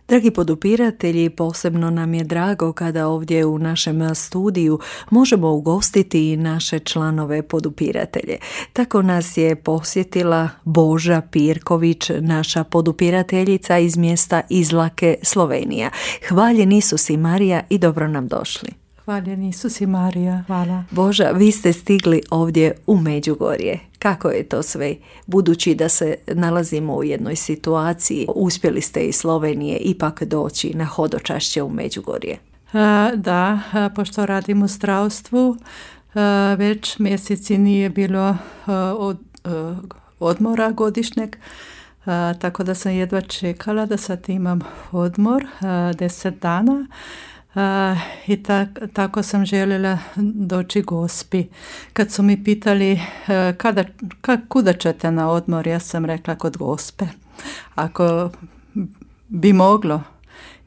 Dragi podupiratelji, posebno nam je drago kada ovdje u našem studiju možemo ugostiti i naše članove podupiratelje. Tako nas je posjetila Boža Pirković, naša podupirateljica iz mjesta Izlake, Slovenija. Hvaljen Isus i Marija i dobro nam došli. Hvaljen Isus i Marija, hvala. Boža, vi ste stigli ovdje u Međugorje. Kako je to sve? Budući da se nalazimo u jednoj situaciji, uspjeli ste iz Slovenije ipak doći na hodočašće u Međugorje. Da, pošto radim u zdravstvu, već mjeseci nije bilo odmora godišnjeg, tako da sam jedva čekala da sad imam odmor 10 dana. I tako sam željela doći Gospi. Kad su mi pitali kuda ćete na odmor, ja sam rekla kod Gospe. Ako bi moglo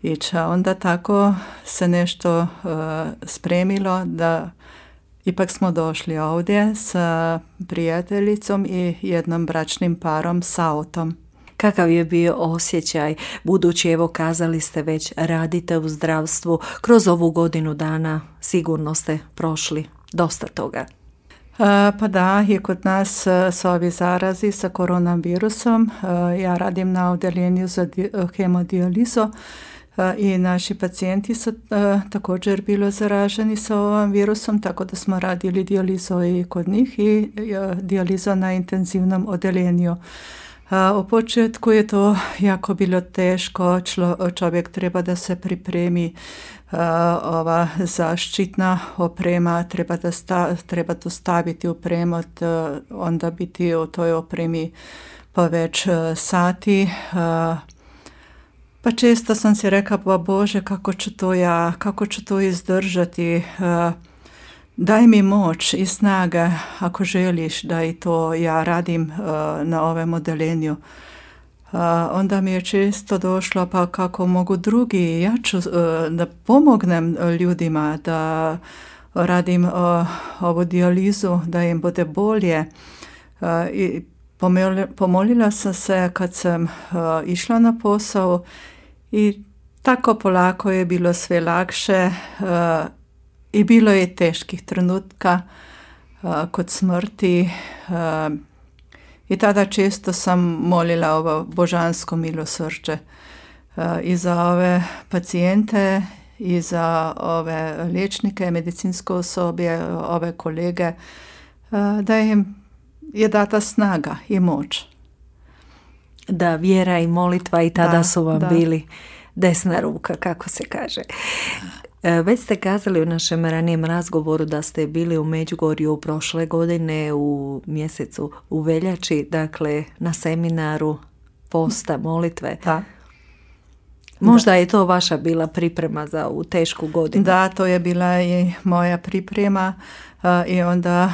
ići, a onda tako se nešto spremilo da ipak smo došli ovdje sa prijateljicom i jednom bračnim parom sa autom. Kakav je bio osjećaj, budući evo kazali ste već radite u zdravstvu, kroz ovu godinu dana sigurno ste prošli dosta toga. Pa da, i kod nas su ovi zarazi sa koronavirusom. Ja radim na odjeljenju za hemodijalizu i naši pacijenti su također bili zaraženi sa ovim virusom, tako da smo radili dijalizu i kod njih i dijalizu na intenzivnom odjeljenju. U početku je to jako bilo teško, čovjek treba da se pripremi, ova zaštitna oprema, treba to staviti u premot, onda biti u toj opremi pa već sati. Pa često sam si rekla, pa Bože, kako ću to izdržati, daj mi moć i snaga ako želiš da i to ja radim na ovom odeljenju. Onda mi je često došlo pa kako mogu drugi, ja ću da pomognem ljudima da radim ovu dijalizu, da im bude bolje. I pomolila sam se kad sam išla na posao i tako polako je bilo sve lakše. I bilo je teških trenutka kod smrti i tada često sam molila ovo božansko milosrđe i za ove pacijente i za ove liječnike, medicinsko osoblje, ove kolege, da im je data snaga i moć. Da, vjera i molitva i tada su vam bili desna ruka, kako se kaže. Već ste kazali u našem ranijem razgovoru da ste bili u Međugorju prošle godine u mjesecu u veljači, dakle na seminaru posta, molitve. Da. Možda je to vaša bila priprema za ovu tešku godinu. Da, to je bila i moja priprema i onda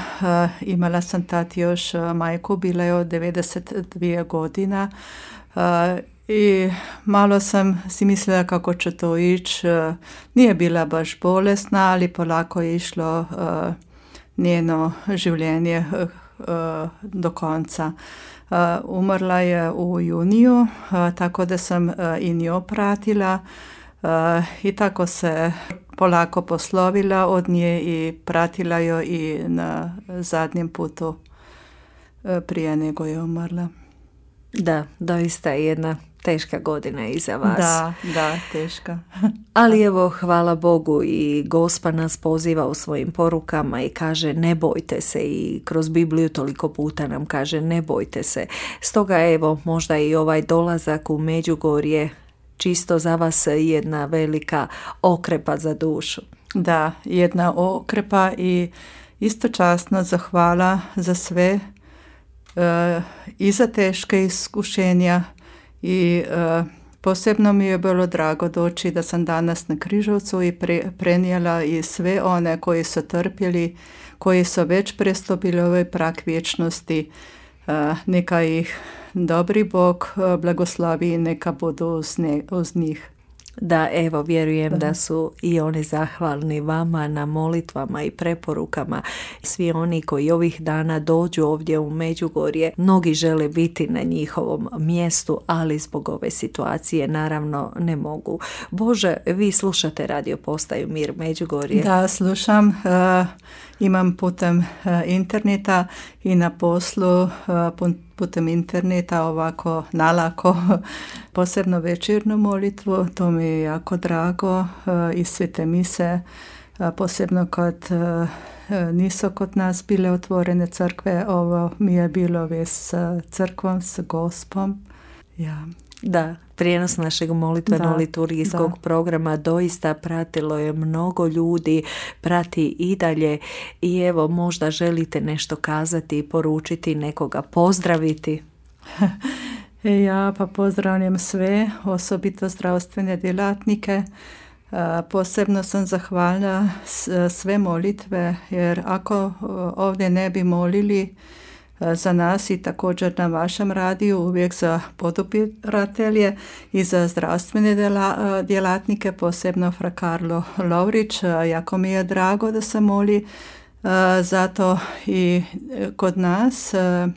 imala sam tad još majku, bila je od 92 godina. I malo sam si mislila kako će to ići. Nije bila baš bolesna, ali polako je išlo njeno življenje do konca. Umrla je u juniju, tako da sam i nju pratila i tako se polako poslovila od nje i pratila joj i na zadnjem putu prije nego je umrla. Da, doista je jedna teška godina iza vas. Da, teška. Ali evo, hvala Bogu i Gospa nas poziva u svojim porukama i kaže ne bojte se i kroz Bibliju toliko puta nam kaže ne bojte se. Stoga evo, možda i ovaj dolazak u Međugorje čisto za vas jedna velika okrepa za dušu. Da, jedna okrepa i isto časno zahvala za sve i za teške iskušenja i posebno mi je bilo drago doći da sam danas na Križevcu i prenijela i sve one koji su trpjeli, koji su već prestupili ovaj prag vječnosti. Neka ih dobri Bog blagoslovi i neka budu uz njih. Da, evo, vjerujem da su i oni zahvalni vama na molitvama i preporukama. Svi oni koji ovih dana dođu ovdje u Međugorje, mnogi žele biti na njihovom mjestu, ali zbog ove situacije naravno ne mogu. Bože, vi slušate radio postaju Mir Međugorje? Da, slušam. Imam putem interneta i na poslu putem interneta ovako nalako posebno večernju molitvu. To mi je jako drago i svete mise, posebno kad nisu kod nas bile otvorene crkve. Ovo mi je bilo već s crkvom, s Gospom. Ja. Da, prijenos našeg molitveno-liturgijskog programa doista pratilo je mnogo ljudi, prati i dalje i evo možda želite nešto kazati, poručiti, nekoga pozdraviti. Ja pa pozdravljam sve, osobito zdravstvene djelatnike. Posebno sam zahvalna sve molitve, jer ako ovdje ne bi molili za nas i također na vašem radiju, uvijek za podupiratelje i za zdravstvene djelatnike, posebno fra Karlo Lovrić. Jako mi je drago da se moli zato i kod nas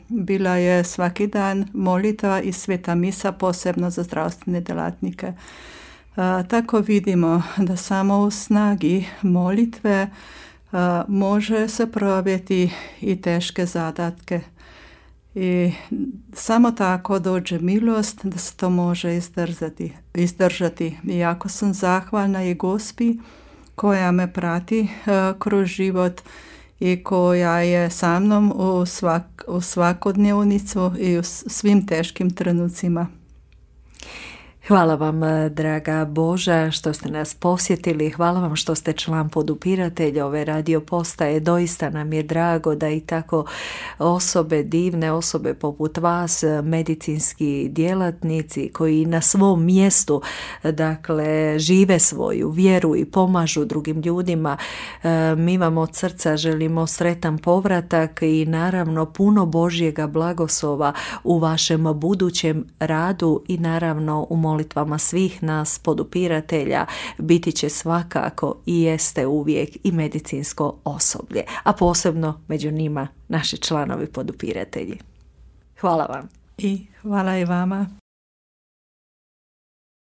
bila je svaki dan molitva i sveta misa, posebno za zdravstvene djelatnike. Tako vidimo da samo u snagi molitve može se provjeti i teške zadatke. I samo tako dođe milost da se to može izdržati. I jako sam zahvalna i Gospi koja me prati kroz život i koja je sa mnom u svakodnevnicu i u svim teškim trenucima. Hvala vam, draga Boža, što ste nas posjetili. Hvala vam što ste član podupiratelja ove radio postaje. Doista nam je drago da i tako osobe, divne osobe poput vas, medicinski djelatnici koji na svom mjestu, dakle, žive svoju vjeru i pomažu drugim ljudima. Mi vam od srca želimo sretan povratak i naravno puno Božjega blagoslova u vašem budućem radu i naravno u molitvama svih nas podupiratelja. Biti će svakako i jeste uvijek i medicinsko osoblje, a posebno među njima naši članovi podupiratelji. Hvala vam. I hvala i vama.